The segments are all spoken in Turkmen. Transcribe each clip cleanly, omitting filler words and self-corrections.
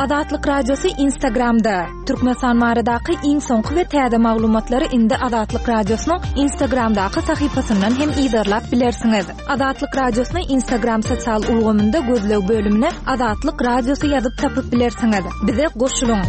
Azatlyk Radiosy Instagramda! Türkmenistan baradaky iň soňky we täze maglumatlary indi Azatlyk Radiosynyň Instagramdaky sahypasyndan hem yzarlap bilersiňiz. Azatlyk Radiosyny Instagram sosial ulgamynda gözleg bölümine Azatlyk Radiosy ýazyp tapyp bilersiňiz. Bize goşulyň!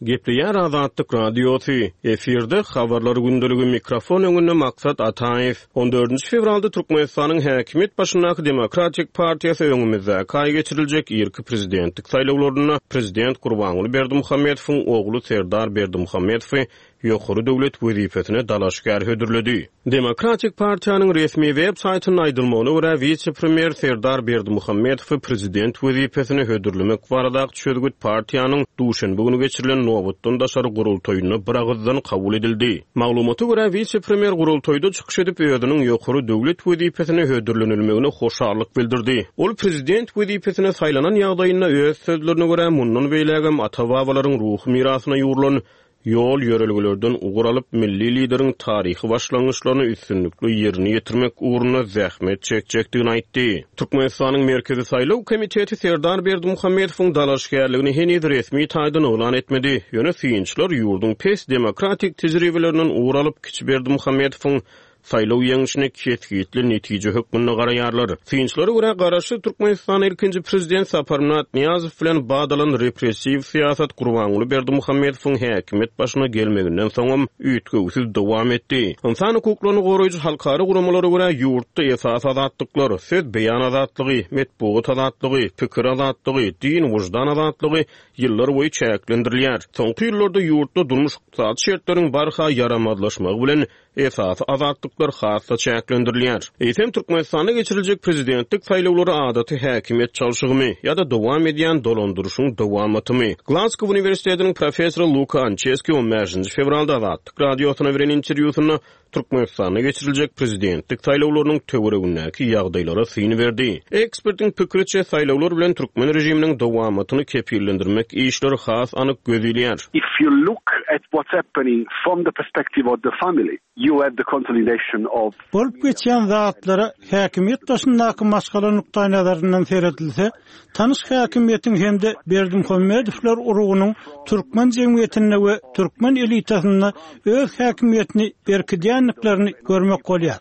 Gepleýär Azatlyk Radiosy, Efirde Habarlar gündeligi mikrofon öňünde Maksat Ataýew. On dördünji fewralda Türkmenistanyň häkimiýet başyndaky Demokratik partiýasy öňümizdäki aý geçiriljek irki prezidentlik saýlawlarynda prezident Gurbanguly Berdimuhamedowyň ogly Serdar Berdimuhamedowy ýokary döwlet wezipesine dalaşgär hödürledi. Demokratik partiýanyň resmi web saýtynda aýdylmagyna görä, wise-premýer Serdar Berdimuhamedowy prezident wezipesine hödürlemek baradaky çözgüt partiýanyň duşenbe güni geçirilen nobatdan daşary gurultaýynda biragyzdan kabul edildi. Maglumata görä, wise-premýer gurultaýda çykyş edip, özüniň ýokary döwlet wezipesine hödürlenilmegine hoşallyk bildirdi. Ol prezident wezipesine saýlanan ýagdaýynda, öz sözlerine görä, mundan beýlägem ata-babalaryň ruhy mirasyna ýugrulan ýol-ýörelgelerden ugur alyp, milli Lideriň taryhy başlangyçlaryny üstünlikli ýerine ýetirmek ugrunda zähmet çekjekdigini aýtdy. Türkmenistanyň Merkezi saýlaw komiteti Serdar Berdimuhamedowyň dalaşgärligini heniz resmi taýdan yglan etmedi. Ýöne synçylar ýurduň pes demokratik tejribelerinden ugur alyp, kiçi Berdimuhamedowyň saýlaw ýeňşine kesgitli netije hökmünde garaýarlar. Synçylara görä, garaşsyz Türkmenistanda ilkinji prezident Saparmyrat Nyýazow bilen bat alan repressiw syýasat Gurbanguly Berdimuhamedowyň häkimiýet başyna gelmeginden soňam üýtgewsiz dowam etdi. Ynsan hukuklaryny goraýjy halkara guramalara görä, ýurtda esasy azatlyklar, söz beýan azatlygy, metbugat azatlygy, pikir azatlygy, din, wyždan azatlygy ýyllarboýy çäklendirilýär. Soňky ýyllarda ýurtda durmuş-ykdysady şertleriň barha ýaramazlaşmagy bilen esasy azatlyklar has-da çäklendirilýär. Eýsem, Türkmenistanda geçiriljek prezidentlik saýlawlary adaty häkimiýet çalşygymy ýa-da dowam edýän dolandyryşyň dowamatymy? Glazgow uniwersitetiniň professory Luka Ançeski on bäşinji fewralda Azatlyk Radiosyna beren interwýusynda Türkmenistanda geçiriljek prezidentlik saýlawlarynyň töweregindäki ýagdaýlara syn berdi. Ekspertiň pikiriçe, saýlawlar bilen türkmen režiminiň dowamatyny kepillendirmek işleri has anyk göz ilýär. If you look at what's happening from the perspective of the family, you have the consolidation of. Bolup geçýän zatlara häkimiýet daşyndaky maşgala nukdaýnazaryndan seredilse, tanyş häkimiýetiň hem-de Berdimuhamedowlar urugynyň türkmen jemgyýetinde we türkmen elitasynda öz häkimiýetini berkidýändiklerini görmek bolýar.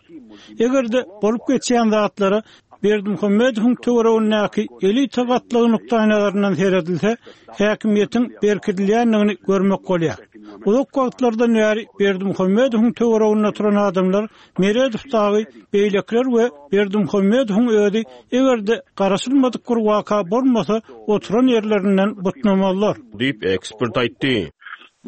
Eger-de bolup geçýän zatlara Berdimuhamedowyň töweregindäki elita gatlagy nukdaýnazaryndan seredilse, häkimiýetiň berkidilýändigini görmek bolýar. Uzak wagtlardan bäri Berdimuhamedowyň töwereginde oturan adamlar Meredow dagy, beýlekiler we Berdimuhamedowyň özi eger-de garaşylmadyk bir waka bolmasa, oturan ýerlerinden butnamazlar. Diýip, ekspert aýtdy.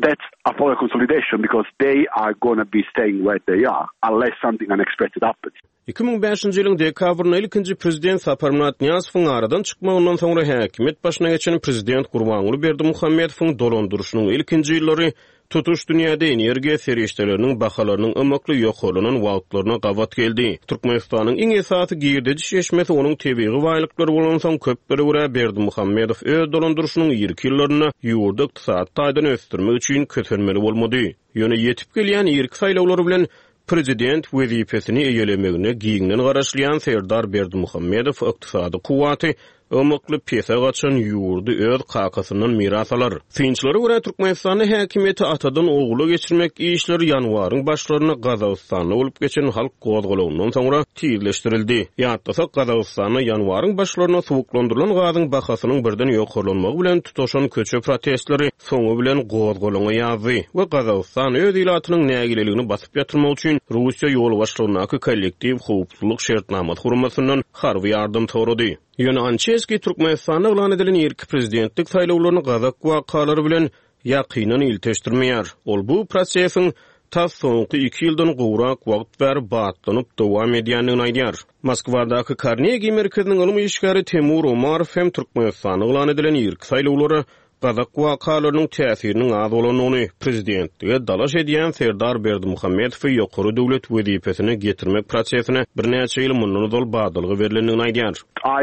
That's a power consolidation because they are gonna be staying where they are unless something unexpected happens. 2005-nji ýylyň dekabrynda ilkinji prezident Saparmyrat Nyýazowyň aradan çykmagyndan soňra häkimiýet başyna geçen prezident Gurbanguly Berdimuhamedowyň dolandyryşynyň ilkinji ýyllary tutuş dünýäde energiýa serişdeleriniň bahalarynyň ymykly ýokarlanan wagtlaryna gabat geldi. Türkmenistanyň iň esasy girdeji çeşmesi onuň tebigy baýlyklary bolansoň, köplere görä Berdimuhamedow öz dolandyryşynyň irki ýyllarynda ýurdy ykdysady taýdan ösdürmek üçin kösenmeli bolmady. Ýöne ýetip gelýän irki saýlawlar bilen Prezident wezipesini eýelemegine giňden garaşylýan Serdar Berdimuhamedow ykdysady kuwwaty ymykly pese gaçan ýurdy öz kakasyndan miras alar. Synçylara görä, Türkmenistanda häkimiýeti atadan ogula geçirmek işleri ýanwaryň başlarynda Gazagystanda bolup geçen halk gozgalaňyndan soňra tizleşdirildi. Ýatlasak, Gazagystanda ýanwaryň başlarynda suwuklandyrylan gazyň bahasynyň birden ýokarlanmagy bilen tutaşan köçe protestleri soňy bilen gozgalaňa ýazdy we Gazagystan öz ilatynyň nägileligini basyp ýatyrmak üçin Russiýa ýolbaşçylygyndaky Kollektiw howpsuzlyk şertnamasy guramasyndan harby ýardam sorady. Ýöne Ançeskiý Türkmenistanda yglan edilen irki prezidentlik saýlawlaryny gazak wakalary bilen ýakyndan ilteşdirmeýär. Ol bu prosesiň tas soňky iki ýyldan gowrak wagt bäri batlanyp dowam edýändigini aýdýar. Moskwadaky Karnegi merkeziniň ylym işgäri Temur Omarow hem Türkmenistanda yglan edilen irki saýlawlara gazak wakalarynyň täsiriniň az bolandygyny, prezidentlige dalaş edýän Serdar Berdimuhamedowy ýokary döwlet wezipesine getirmek prosesine birnäçe ýyl mundan ozal badalga berlendigini aýdýar.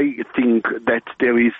I think that there is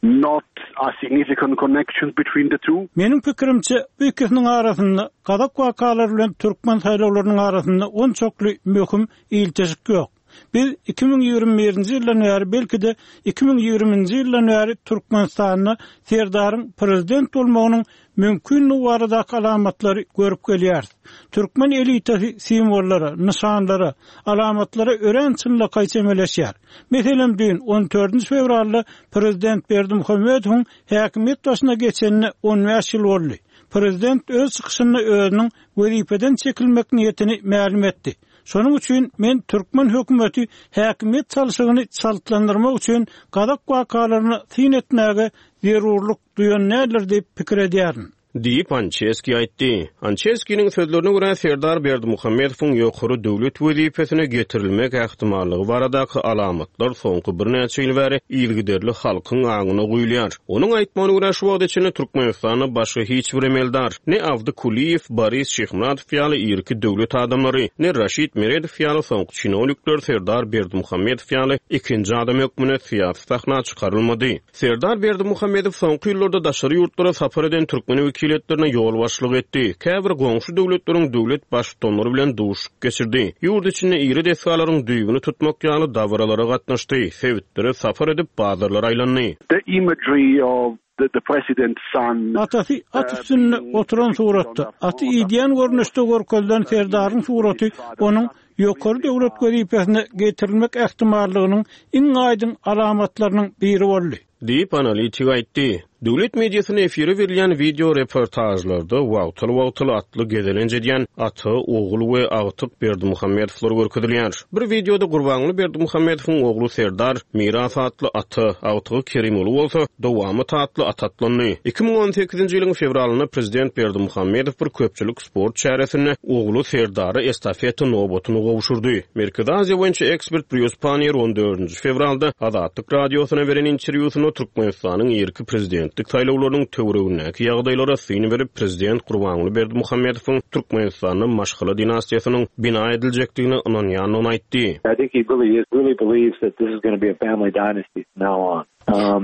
not a significant connection between the two. Meniň pikirimçe, bu ikisiniň arasynda, gazak wakalary bilen türkmen saýlawlarynyň arasynda onçakly möhüm ilteşik ýok. Biz 2021-nji ýyldan bäri, belki-de, 2020-nji ýyldan bäri Türkmenistanda Serdaryň prezident bolmagynyň mümkinligi baradaky alamatlary görüp gelýäris. Türkmen elitasy simwollara, nyşanlara, alamatlara örän çynlakaý çemeleşýär. Meselem, düýn, on dördünji fewralda prezident Berdimuhamedowyň häkimiýet başyna geçenine on bäş ýyl boldy. Prezident öz çykyşynda özüniň wezipeden çekilmek niýetini mälim etdi. Şonuň üçin men türkmen hökümeti häkimiýet çalşygyny çaltlandyrmak üçin gazak wakalaryna syn etmäge zerurlyk duýan däldir diýip pikir edýärin. Diýip, Ançeskiý aýtdy. Ançeskiniň sözlerine görä, Serdar Berdimuhamedowyň ýokary döwlet wezipesine getirilmek ähtimallygy baradaky alamatlar soňky birnäçe ýyl bäri yzygiderli halkyň aňyna guýulýar. Onuň aýtmagyna görä, şu wagta çenli Türkmenistanda başga hiç bir emeldar, ne Abdy Kulyýew, Boris Şyhmyradow ýaly irki döwlet adamlary, ne Raşid Meredow ýaly soňky çinownikler Serdar Berdimuhamedow ýaly ikinji adam hökmünde syýasy sahna çykarylmady. Serdar Berdimuhamedow soňky ýyllarda daşary ýurtlara sapar eden türkmen wekiliýetlerine ýolbaşçylyk etdi, käbir goňşy döwletleriň döwlet Baştutanlary bilen duşuşyk geçirdi, ýurt içinde iri desgalaryň düýbüni tutmak ýaly dabaralara gatnaşdy, sebitlere sapar edip, bazarlara aýlandy. The imagery of the president's son. Atasy at üstünde oturan suratda, aty idýän görnüşde görkezilen Serdaryň suraty onuň ýokary döwlet wezipesine getirilmek ähtimallygynyň iň aýdyň alamatlarynyň biri boldy. Diýip, analitik aýtdy. Döwlet mediasynda efire berilýän wideo reportažlarda wagtal-wagtal atly gezelenç edýän ata, ogul we agtyk Berdimuhamedowlar görkezilýär. Bir wideoda Gurbanguly Berdimuhamedowyň ogly Serdar Miras atly ata, agtygy Kerimguly bolsa Dowamat atly ata atlandy. 2018-nji ýylyň fewralynda prezident Berdimuhamedow bir köpçülik sport çäresinde ogly Serdara estafeta nobatyny gowşurdy. Merkezi Aziýa boýunça ekspert Brýus Panniýer on dördünji fewralda Azatlyk Radiosyna beren interwýusynda Türkmenistanyň irki prezidentlik saýlawlarynyň töweregindäki ýagdaýlara syn berip, prezident Gurbanguly Berdimuhamedowyň Türkmenistanda maşgala dinastiýasynyň bina ediljekdigine ynanýandygyny aýtdy. I think he really really believes that this is gonna be a family dynasty from now on.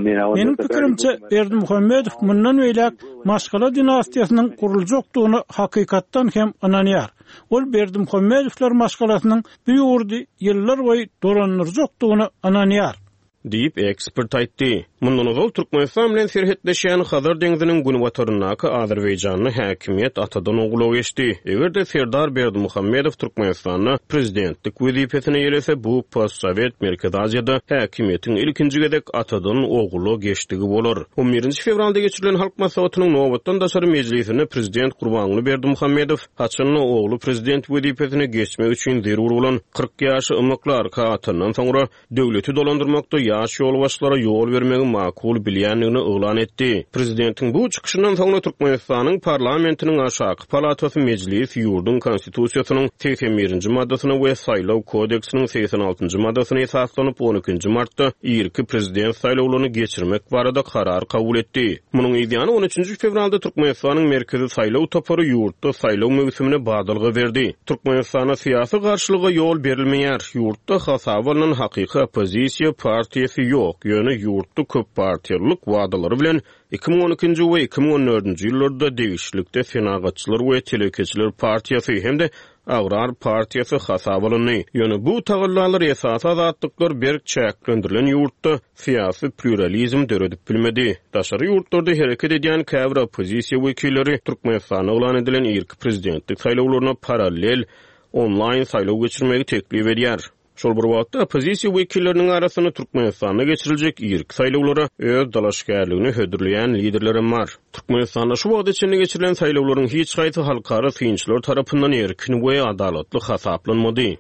Meniň pikirimçe, Berdimuhamedow mundan beýläk maşgala dinastiýasynyň guruljakdygyna hakykatdan hem ynanýar. Ol Berdimuhamedowlar maşgalasynyň bu ýurdy ýyllarboýy dolandyrjakdygyna ynanýar. Diýip, ekspert aýtdy. Mundan ozal Türkmenistan bilen serhetleşýän Hazar deňziniň günbataryndaky Azerbaýjanda häkimiýet atadan ogula geçdi. Eger-de Serdar Berdimuhamedow Türkmenistanda prezidentlik wezipesini eýelese, bu postsowet Merkezi Aziýada häkimiýetiň ilkinji gezek atadan ogula geçdigi bolar. On birinji fewralda geçirilen Halk Maslahatynyň nobatdan daşary mejlisinde prezident Gurbanguly Berdimuhamedow haçan-da ogly prezident wezipesine geçmek üçin zerur bolan 40 ýaşy ymykly arka atandan soňra, döwleti dolandyrmakda ýaş ýolbaşçylara ýol bermegi makul bilýändigini yglan etdi. Prezidentiň bu çykyşyndan soňra Türkmenistanyň parlamentiniň aşaky palatasy Mejlis ýurduň Konstitusiýasynyň 81-nji maddasyna we Saýlaw kodeksiniň 86-njy maddasyna esaslanyp, on ikinji martda irki prezident saýlawlaryny geçirmek barada karar kabul etdi. Munuň yzýany on üçünji fewralda Türkmenistanyň Merkezi saýlaw topary ýurtda saýlaw möwsümine badalga berdi. Türkmenistanda syýasy garşylyga ýol berilmeýär. Ýurtda hasaba alnan hakyky oppozisiýa partiýasy ýok, ýöne ýurtda köppartiýalylyk wadalary bilen 2012-nji we 2014-nji ýyllarda degişlilikde Senagatçylar we telekeçiler partiýasy hem-de Agrar partiýasy hasaba alyndy. Ýöne bu tagallalar esasy azatlyklar berk çäklendirilen ýurtda syýasy plýuralizm döredip bilmedi. Daşary ýurtlarda hereket edýän käbir oppozisiýa wekilleri Türkmenistanda yglan edilen irki prezidentlik saýlawlaryna parallel onlaýn saýlaw geçirmegi teklip edýär. Şol bir wagtda, oppozisiýa wekilleriniň arasynda Türkmenistanda geçiriljek irki saýlawlara öz dalaşgärligini hödürleýän liderlerem bar. Türkmenistanda şu wagta çenli geçirilen saýlawlaryň hiç haýsy halkara synçylar tarapyndan erkin we adalatly hasaplanmady.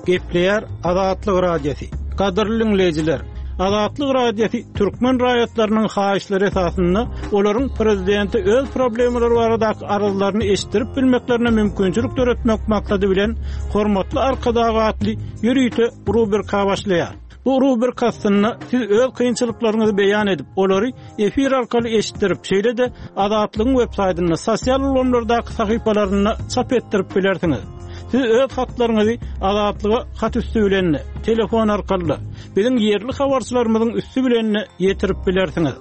Gepleýär Azatlyk Radiosy. Gadyrly diňleýjiler! Azatlyk Radiosy türkmen raýatlarynyň haýyşlary esasynda olaryň prezidente öz problemalary baradaky arzlaryny eşitdirip bilmeklerine mümkinçilik döretmek maksady bilen Hormatly Arkadag atly ýörite rubrika başlaýar. Bu rubrika astynda siz öz kynçylyklaryňyzy beýan edip, olary efir arkaly eşitdirip, şeýle-de Azatlygyň websaýtynda, sosial ulgamlardaky sahypalarynda çap etdirip bilersiňiz. Siz öz hatlaryňyzy Azatlyga hat üsti bilen-de, telefon arkaly-da, biziň ýerli habarçylarymyzyň üsti bilen-de ýetirip bilersiňiz.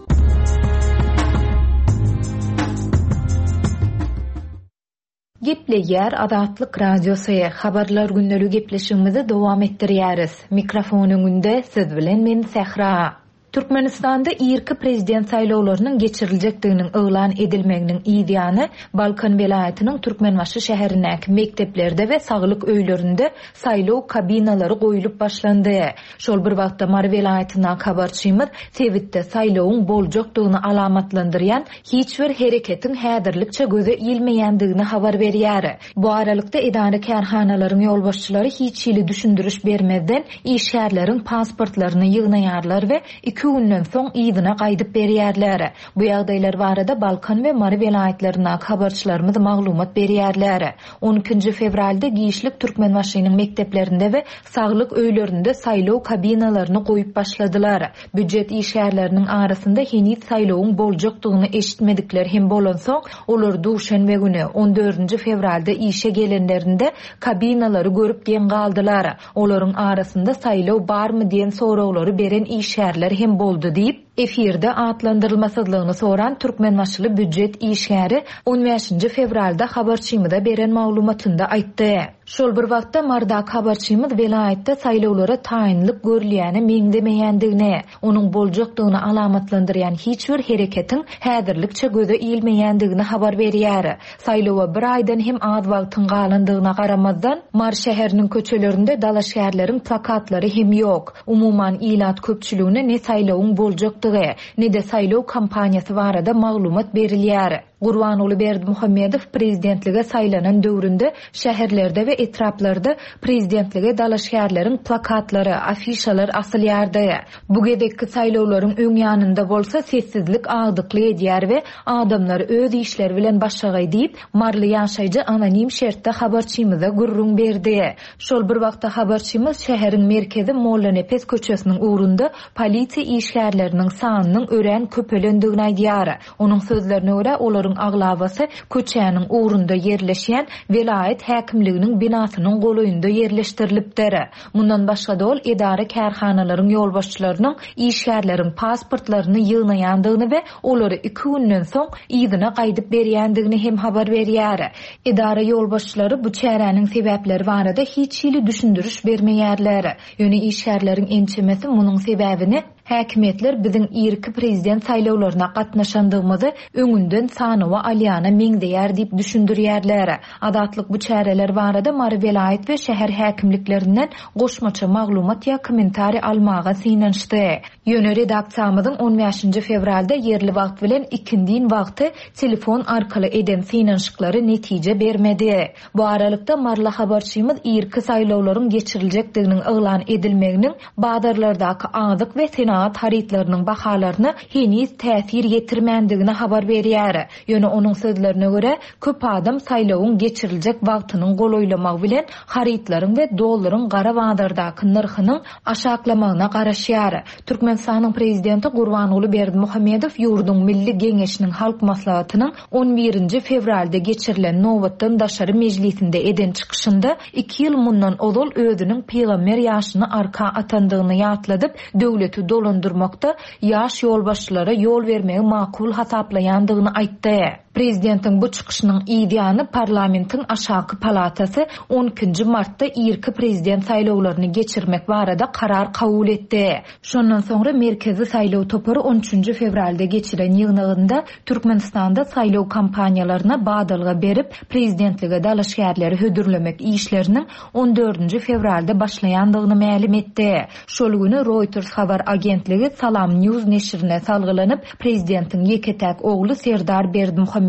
Gepleýär Azatlyk Radiosy, Habarlar gündeligi gepleşigimizi dowam etdirýäris. Mikrofon öňünde siz bilen men Sähra. Türkmenistanda irki prezident saýlawlarynyň geçiriljekdiginiň yglan edilmeginiň yz ýany, Balkan welaýatynyň Türkmenbaşy şäherindäki mekdeplerde we saglyk öýlerinde saýlaw kabinalary goýlup başlandy. Şol bir wagtda Mary welaýatyndaky habarçymyz sebitde saýlawyň boljakdygyny alamatlandyrýan hiç bir hereketiň häzirlikçe göze ilmeýändigini habar berýär. Bu aralykda, edara-kärhanalaryň ýolbaşçylary hiç hili düşündiriş bermezden, işgärleriň pasportlaryny ýygnaýarlar we iki günden soň yzyna gaýdyp berýärler. Bu ýagdaýlar barada Balkan we Mary welaýatlaryndaky habarçylarymyz maglumat berýärler. On ikinji fewralda giçlik Türkmenbaşynyň mekdeplerinde we saglyk öýlerinde saýlaw kabinalaryny goýup başladylar. Býujet işgärleriniň arasynda heniz saýlawyň boljakdygyny eşitmedikler hem bolansoň, olar duşenbe güni, on dördünji fewralda işe gelenlerinde kabinalary görüp geň galdylar. Olaryň arasynda saýlaw barmy diýen soraglary beren işgärler hem boldy diýip, efirde atlandyrylmasyzlygyny soran türkmenbaşyly býujet işgäri on bäşinji fewralda habarçymyza beren maglumatynda aýtdy. Şol bir wagtda, Marydaky habarçymyz welaýatda saýlawlara taýynlyk görülýäne meňzemeýändigini, onuň boljakdygyny alamatlandyrýan hiç bir hereketiň häzirlikçe göze ilmeýändigini habar berýär. Saýlawa bir aýdan hem az wagtyň galandygyna garamazdan, Mary şäheriniň köçelerinde dalaşgärleriň plakatlary hem ýok. Umuman, ilat köpçüligine ne saýlawyň boljakdygy, ne-de saýlaw kampaniýasy barada maglumat berilýär. Gurbanguly Berdimuhamedow prezidentlige saýlanan döwründe şäherlerde we etraplarda prezidentlige dalaşgärleriň plakatlary, afişalar asylýardy. Bu gezekki saýlawlaryň öň ýanynda bolsa sessizlik agdyklyk edýär we adamlar öz işleri bilen başagaý diýip, maryly ýaşaýjy anonim şertde habarçymyza gürrüň berdi. Şol bir wagtda habarçymyz şäheriň merkezi Mollanepes köçesiniň ugrunda polisiýa işgärleriniň sanynyň örän köpelendigini aýdýar. Onuň sözlerine görä, olaryň aglabasy köçäniň ugrunda ýerleşýän welaýat häkimliginiň binasynyň golaýynda ýerleşdirilipdir. Mundan başga-da ol edara-kärhanalaryň ýolbaşçylarynyň işgärleriň pasportlaryny ýygnaýandygyny we olary iki günden soň yzyna gaýdyp berýändigini hem habar berýär. Edara ýolbaşçylary bu çäräniň sebäpleri barada hiç hili düşündiriş bermeýärler. Ýöne işgärleriň ençemesi munuň sebäbini Häkimiýetler biziň irki prezident saýlawlaryna gatnaşandygymyzy öňünden sanawa alýana meňzeýär diýip düşündirýärler. Azatlyk bu çäreler barada Mary welaýat we şäher häkimliklerinden goşmaça maglumat ýa kommentariý almaga synanyşdy. Ýöne redaksiýamyzyň on bäşinji fewralda ýerli wagt bilen ikindin wagty telefon arkaly eden synanyşyklary netije bermedi. Bu aralykda, maryly habarçymyz irki saýlawlaryň geçiriljekdiginiň yglan edilmeginiň bazarlardaky azyk we senagat harytlarynyň bahalaryna heniz täsir ýetirmändigini habar berýär. Ýöne onuň sözlerine görä, köp adam saýlawyň geçiriljek wagtynyň golaýlamagy bilen harytlaryň we dollaryň gara bazardaky nyrhynyň aşaklamagyna garaşýar. Türkmenistanyň Prezidenti Gurbanguly Berdimuhamedow ýurduň Milli Geňeşiniň Halk Maslahatynyň on birinji fewralda geçirilen nobatdan daşary mejlisinde eden çykyşynda iki ýyl mundan ozal özüniň pygamber ýaşyny arka atandygyny ýatladyp, döwleti dolandyrmakda ýaş ýolbaşçylara ýol bermegi makul hasaplaýandygyny aýtdy. Prezidentiň bu çykyşynyň yz ýany parlamentiň aşaky palatasy on ikinji martda irki prezident saýlawlaryny geçirmek barada karar kabul etdi. Şondan soňra Merkezi saýlaw topary on üçünji fewralda geçiren ýygnagynda Türkmenistanda saýlaw kampaniýalaryna badalga berip, prezidentlige dalaşgärleri hödürlemek işleriniň on dördünji fewralda başlaýandygyny mälim etdi. Şol güni Reuters habar agentligi Salam News neşirine salgylanyp, prezidentiň ýeke-täk ogly Serdar Berdimuhamedowyň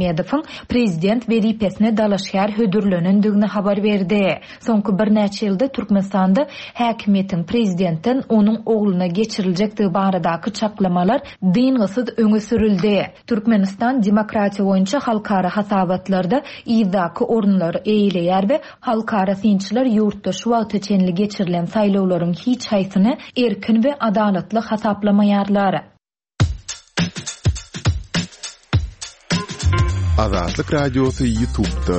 prezident wezipesine dalaşgär hödürlenendigini habar berdi. Soňky birnäçe ýylda Türkmenistanda häkimiýetiň prezidentden onuň ogluna geçiriljekdigi baradaky çaklamalar dyngysyz öňe sürüldi. Türkmenistan demokratiýa boýunça halkara hasabatlarda yzdaky orunlary eýeleýär we halkara synçylar ýurtda şu wagta çenli geçirilen saýlawlaryň hiç haýsyny erkin we adalatly hasaplamaýarlar. Azatlyk Radiosy YouTube'da.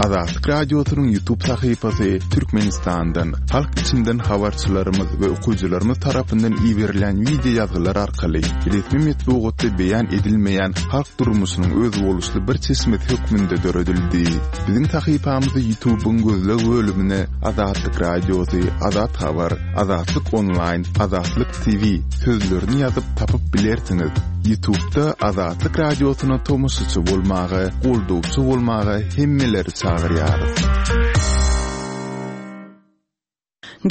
Azatlyk Radiosynyň YouTube sahypasy Türkmenistandan, halk içinden habarçylarymyz we okyjylarymyz tarapyndan iberilýän wideo ýazgylar arkaly resmi metbugatda beýan edilmeýän halk durmuşynyň özboluşly bir çeşmesi hökmünde döredildi. Biziň sahypamyzy YouTube-yň gözleg bölümine Azatlyk Radiosy, Azat Habar, Azatlyk Onlaýn, Azatlyk TV sözlerini ýazyp tapyp bilersiňiz. Ýutubda Azatlyk Radiosyna tomaşaçy bolmaga, goldawçy bolmaga hemmeleri çagyrýarys.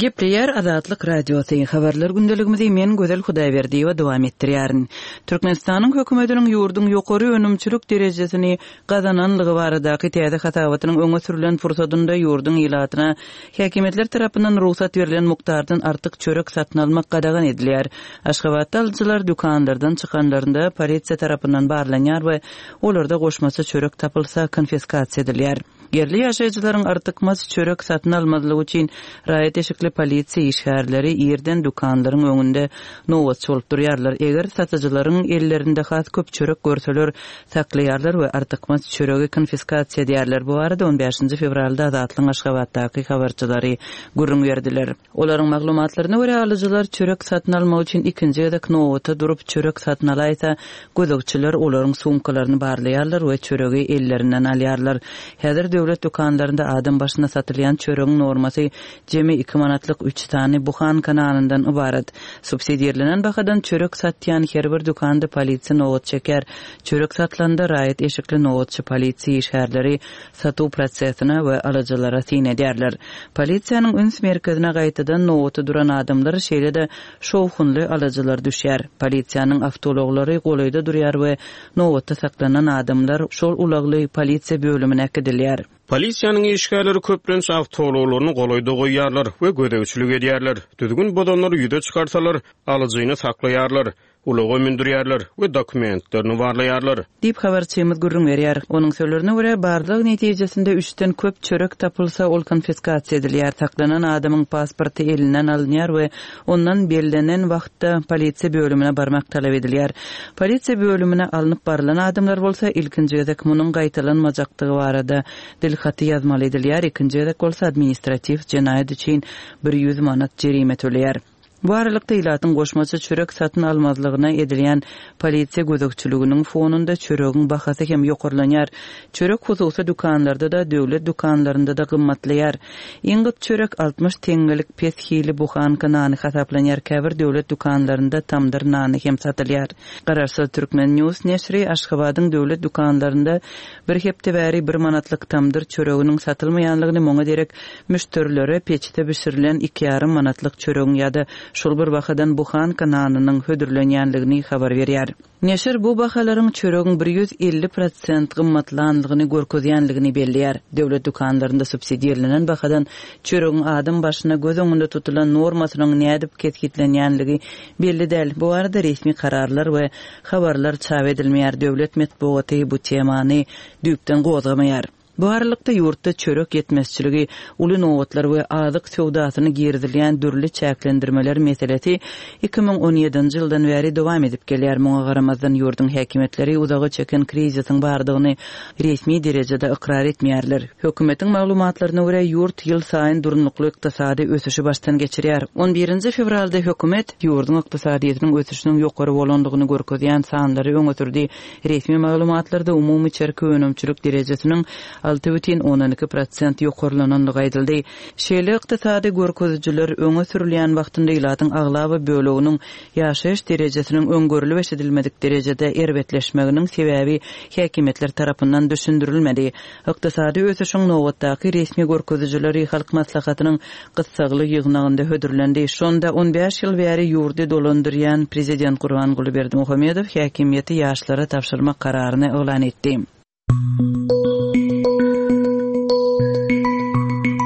Gepleýär Azatlyk Radiosy, Habarlar gündeligimizi men Gözel Hudaýberdiýewa dowam etdirýärin. Türkmenistanyň hökümetiniň ýurduň ýokary önümçilik derejesini gazananlygy baradaky täze hasabatynyň öňe sürlen pursadynda ýurduň ilatyna häkimiýetler tarapyndan rugsat berlen mukdardan artyk çörek satyn almak gadagan edilýär. Aşgabatda alyjylar dükanlardan çykanlarynda polisiýa tarapyndan barlanýar we olarda goşmaça çörek tapylsa konfiskasiýa edilýär. Ýerli ýaşaýjylaryň artykmaç çörek satyn almazlygy üçin raýat eşikli polisiýa işgärleri irden dükanlaryň öňünde nobatçy bolup durýarlar. Eger satyjylaryň ellerinde has köp çörek görseler, saklaýarlar we artykmaç çöregi konfiskasiýa edýärler. Bu barada on bäşinji fewralda Azatlygyň Aşgabatdaky habarçylary gürrüň berdiler. Olaryň maglumatlaryna görä, alyjylar çörek satyn almak üçin ikinji gezek nobata durup, çörek satyn alaýsa, gözegçiler olaryň sumkalaryny barlaýarlar we çöregi ellerinden alýarlar. Häzir döwlet dükanlarynda adam başyna satylýan çöregiň normasy jemi iki manatlyk üç sany buhanka nanyndan ybarat. Subsidirlenen bahadan çörek satýan her bir dükanda polisiýa nobat çekýär. Çörek satylanda raýat eşikli nobatçy polisiýa işgärleri satuw prosesine we alyjylara syn edýärler. Polisiýanyň üns merkezine gaýtadan nobata duran adamlar, şeýle-de şowhunly alyjylar düşýär. Polisiýanyň awtoulaglary golaýda durýar we nobatda saklanan adamlar şol ulagly polisiýa bölümine äkidilýär. Polisiýanyň işgärleri köplenç awtoulaglaryny golaýda goýýarlar we gözegçilik edýärler. Düzgün bozanlary ýüze çykarsalar, alyjyny saklaýarlar. Ulaga mündürýärler we dokumentlerini barlaýarlar. Diýip, habarçymyz gürrüň berýär. Onuň sözlerine görä, barlag netijesinde üçden köp çörek tapylsa, ol konfiskasiýa edilýär, saklanan adamyň pasporty elinden alynýar we ondan bellenen wagtda polisiýa bölümine barmak talap edilýär. Polisiýa bölümine alnyp barylan adamlar bolsa, ilkinji gezek munuň gaýtalanmajakdygy barada dilhaty ýazmaly edilýär, ikinji gezek bolsa administratiw jenaýat üçin 100 manat jerime töleýär. Bu aralykda, ilatyň goşmaça çörek satyn almazlygyna edilýän polisiýa gözegçiliginiň fonunda çöregiň bahasy hem ýokarlanýar. Çörek hususy dükanlarda-da, döwlet dükanlarynda-da gymmatlaýar. Iň gyt çörek 60 teňňelik pes hili buhanka nany hasaplanýar, käbir döwlet dükanlarynda tamdyr nany hem satylýar. Garaşsyz Turkmen. News neşiri Aşgabadyň döwlet dükanlarynda bir hepde bäri bir manatlyk tamdyr çöreginiň satylmaýanlygyny, muňa derek Müşderilere peçde bişirilen iki ýarym manatlyk çöregiň ýa-da şol bir bahadan buhanka nanynyň hödürlenýänligini habar berýär. Neşir bu bahalaryň çöregiň 150 prosent gymmatlanlygyny görkezýänligini belleýär. Döwlet dükanlarynda subsidirlenen bahadan çöregiň adam başyna göz öňünde tutulan normasynyň nädip kesgitlenýänligi belli däl. Bu barada resmi kararlar we habarlar çap edilmeýär, döwlet metbugaty bu temany düýpden gozgamaýar. Bu aralykda, ýurtda çörek ýetmezçiligi, uly nobatlar we azyk söwdasyna girizilýän dürli çäklendirmeler meselesi 2017-nji ýyldan bäri dowam edip gelýär. Muňa garamazdan, ýurduň häkimiýetleri uzaga çeken krizisiň bardygyny resmi derejede ykrar etmeýärler. Hökümetiň maglumatlaryna görä, ýurt ýylsaýyn durnukly ykdysady ösüşi başdan geçirýär. On birinji fewralda hökümet ýurduň ykdysadyýetiniň ösüşiniň ýokary bolandygyny görkezýän sanlary öňe sürdi. Resmi maglumatlarda umumy içerki önümçilik derejesiniň 6,2 prosent ýokarlanandygy aýdyldy. Şeýle ykdysady görkezijiler öňe sürülýän wagtynda ilatyň aglaba böleginiň ýaşaýyş derejesiniň öň görlüp-eşidilmedik derejede erbetleşmeginiň sebäbi häkimiýetler tarapyndan düşündirilmedi. Ykdysady ösüşiň nobatdaky resmi görkezijileri Halk Maslahatynyň gyssagly ýygnagynda hödürlendi. Şonda on bäş ýyl bäri ýurdy dolandyrýan prezident Gurbanguly Berdimuhamedow häkimiýeti ýaşlara tabşyrmak kararyny yglan etdi.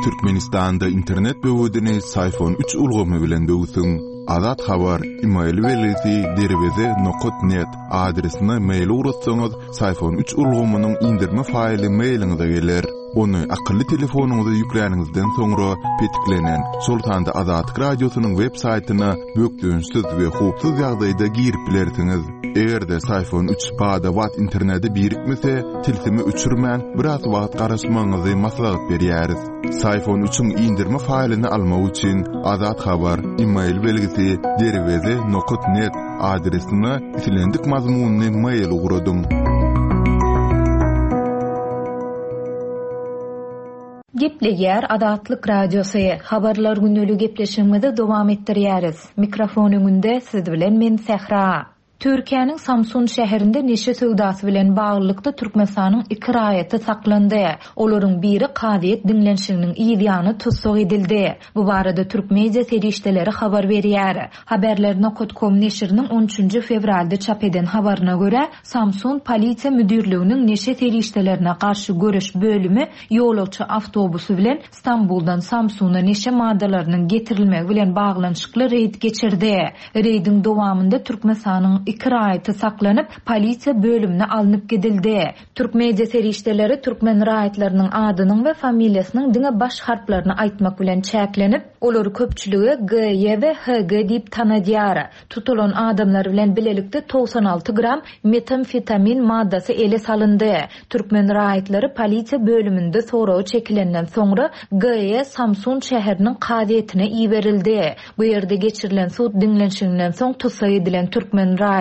Türkmenistanda internet böwedini Syfon üç ulgamy bilen böwsüň. Azat Habar, email belgisi derweze nokat net adresine mail ugratsaňyz, Syfon üç ulgamynyň indirme faýly mailiňize geler. Ony akylly telefonyňyza ýükläniňizden soňra petiklenen, şol sanda Azatlyk Radiosynyň web saýtyna bökdençsiz we howpsuz ýagdaýda girip bilersiňiz. Eger-de Syfon 3 bada-bat internete birikmese, tilsimi öçürmän, biraz wagt garaşmagyňyzy maslahat berýäris. Syfon 3-iň indirme faýlyny almak üçin Azat Habar, e-mail belgisi derweze nokat net adresine islendik mazmunly mail ugradyň. Gepleýär Azatlyk Radiosy, Habarlar gündeligi gepleşigimizi dowam etdirýäris. Mikrofon öňünde siz bilen men Sähra. Türkiýäniň Samsun şäherinde neşe söwdasy bilen baglylykda Türkmenistanyň iki raýaty saklandy. Olaryň biri kazyýet diňlenişiginiň yz ýany tussag edildi. Bu barada türk media serişdeleri habar berýär. Haberler nokat kom neşiriniň on üçünji fewralda çap eden habaryna görä, Samsun polisiýa müdirliginiň neşe serişdelerine garşy göreş bölümi ýolagçy awtobusy bilen Stambuldan Samsuna neşe maddalarynyň getirilmegi bilen baglanyşykly reýd geçirdi. Reýdiň dowamynda Türkmenistanyň iki raýaty saklanyp, polisiýa bölümine alnyp gidildi. Türk media serişdeleri türkmen raýatlarynyň adynyň we familiýasynyň diňe baş harplaryny aýtmak bilen çäklenip, olary köpçülige GY we HG diýip tanadýar. Tutulan adamlar bilen bilelikde 96 gram metamfetamin maddasy ele salyndy. Türkmen raýatlary polisiýa bölüminde soraga çekilenden soňra GE Samsun şäheriniň kazyýetine iberildi. Bu ýerde geçirilen sud diňlenişiginden soň tussag edilen türkmen raýaty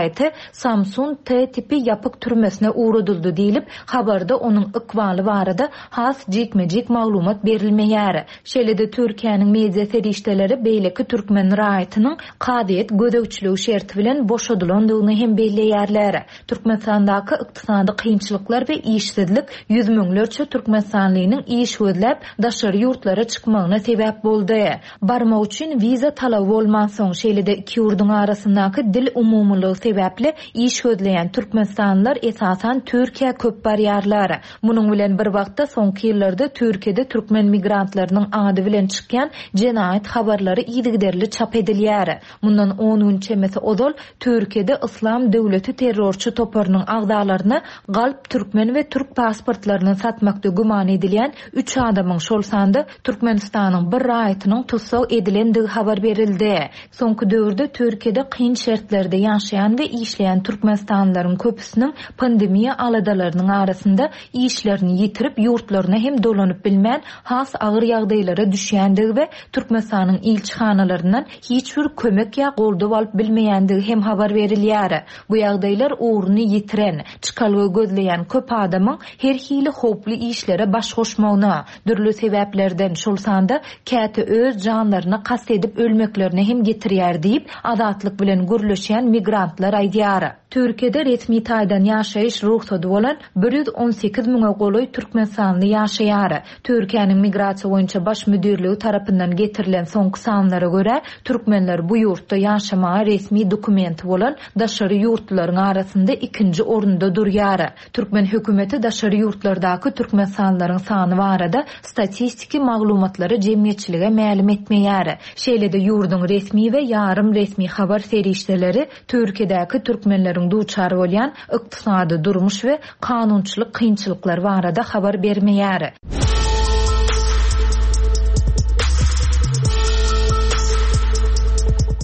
Samsun T tipi ýapyk türmesine ugradyldy diýlip, habarda onuň ykbaly barada has jikme-jik maglumat berilmeýär. Şeýle-de Türkiýäniň media serişdeleri beýleki türkmen raýatynyň kazyýet gözegçiligi şerti bilen boşadylandygyny hem belleýärler. Türkmenistandaky ykdysady kynçylyklar we işsizlik ýüz müňlerçe türkmenistanlynyň iş gözläp, daşary ýurtlara çykmagyna sebäp boldy. Barmak üçin wiza talaby bolmansoň, şeýle-de iki ýurduň arasyndaky dil umumylygy sebäpli iş gözleýän türkmenistanlylar esasan Türkiýä köp barýarlar. Munuň bilen bir wagtda soňky ýyllarda Türkiýede türkmen migrantlarynyň ady bilen çykýan jenaýat habarlary yzygiderli çap edilýär. Mundan on gün çemesi ozal Türkiýede Yslam döwleti terrorçy toparynyň agzalaryna galp türkmen we türk pasportlaryny satmakda güman edilýän üç adamyň, şol sanda Türkmenistanyň bir raýatynyň tussag edilendigi habar berildi. Soňky döwürde Türkiýede kyn şertlerde ýaşaýan we işleýän türkmenistanlylaryň köpüsiniň pandemiýa aladalarynyň arasynda işlerini ýitirip, ýurtlaryna hem dolanyp bilmän, has agyr ýagdaýlara düşýändigi we Türkmenistanyň ilçihanalaryndan hiç bir kömek ýa goldaw alyp bilmeýändigi hem habar berilýär. Bu ýagdaýlar ugruny ýitiren, çykalga gözleýän köp adamyň her hili howply işlere baş goşmagyna, dürli sebäplerden, şol sanda käte öz janlaryna kast edip ölmeklerine hem getirýär diýip, Azatlyk bilen gürleşýän migrantlar aýdýar. Türkiýede resmi taýdan ýaşaýyş rugsady bolan 118 müňe golaý türkmenistanly ýaşaýar. Türkiýäniň Migrasiýa boýunça baş müdirligi tarapyndan getirilen soňky sanlara görä, türkmenler bu ýurtda ýaşamaga resmi dokumenti bolan daşary ýurtlularyň arasynda ikinji orunda durýar. Türkmen hökümeti daşary ýurtlardaky türkmenistanlylaryň sany barada statistiki maglumatlary jemgyýetçilige mälim etmeýär. Şeýle-de ýurduň resmi we ýarym resmi habar serişdeleri Türkiýedäki türkmenleriň duçar bolýan ykdysady, durmuş we kanunçylyk kynçylyklary barada habar bermeýär.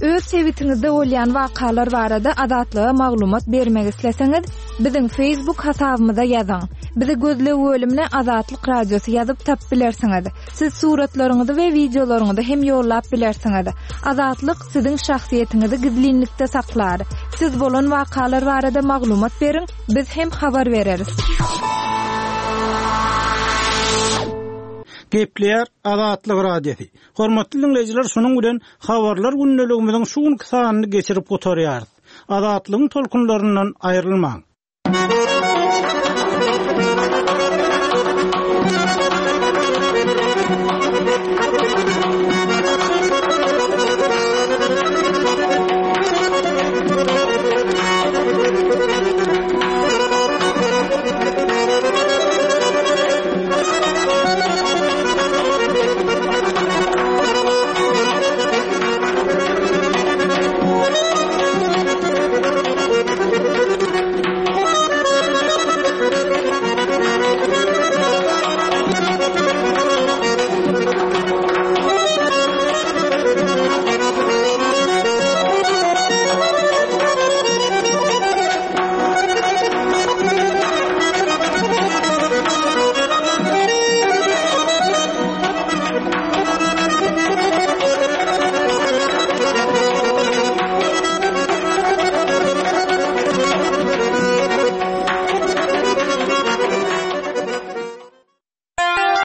Öz sebitiňizde bolýan wakalar barada Azatlyga maglumat bermek isleseňiz, biziň Facebook hasabymyza ýazyň. Bizi gözleg bölümine Azatlyk Radiosy ýazyp tapyp bilersiňiz. Siz suratlaryňyzy we wideolaryňyzy hem ýollap bilersiňiz. Azatlyk siziň şahsyýetiňizi gizlinlikde saklar. Siz bolan wakalar barada maglumat beriň, biz hem habar bereris. Gepleýär Azatlyk Radiosy. Hormatly diňleýjiler, şunuň bilen Habarlar gündeligimiziň şu günki sanyny geçirip gutarýarys. Azatlygyň tolkunlaryndan aýrylmaň!